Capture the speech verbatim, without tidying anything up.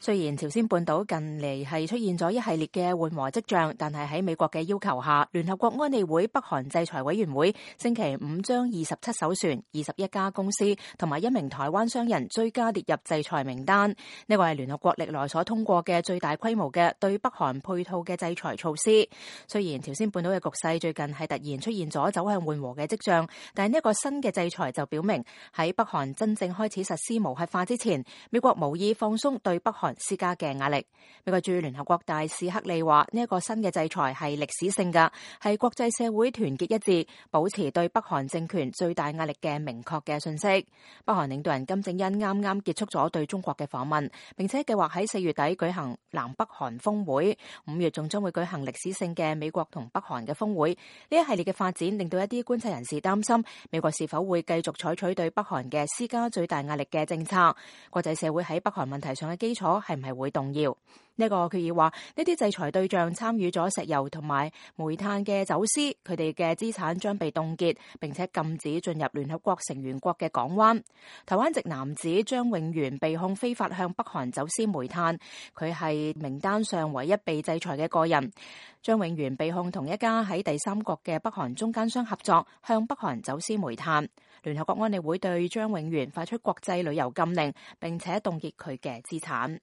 雖然朝鮮半島近嚟係出現咗一系列嘅緩和跡象，但係喺美國嘅要求下，聯合國安理會北韓制裁委員會星期五將二十七艘船、二十一家公司同埋一名台灣商人追加列入制裁名單。呢個係聯合國歷來所通過嘅最大規模嘅對北韓配套嘅制裁措施。雖然朝鮮半島嘅局勢最近係突然出現咗走向緩和嘅跡象，但係呢一個新嘅制裁就表明喺北韓真正開始實施無核化之前，美國無意放鬆對北韓施加嘅壓力。美國駐聯合國大使克利話：呢一個新嘅制裁係歷史性㗎，係國際社會團結一致，保持對北韓政權最大壓力嘅明確嘅信息。北韓領導人金正恩啱啱結束咗對中國嘅訪問，並且計劃喺四月底舉行南北韓峰會，五月仲將會舉行歷史性嘅美國同北韓嘅峰會。呢一系列嘅發展令到一啲觀察人士擔心，美國是否會繼續採取對北韓嘅施加最大壓力嘅政策？國際社會喺北韓問題上嘅基礎係唔係會動搖？呢個決議話，呢啲制裁對象參與咗石油同埋煤炭嘅走私，佢哋嘅資產將被凍結，並且禁止進入聯合國成員國嘅港灣。台灣籍男子張永元被控非法向北韓走私煤炭，佢係名單上唯一被制裁嘅個人。張永元被控同一家喺第三國嘅北韓中間商合作，向北韓走私煤炭。聯合國安理會對張永元發出國際旅遊禁令，並且凍結佢嘅資產。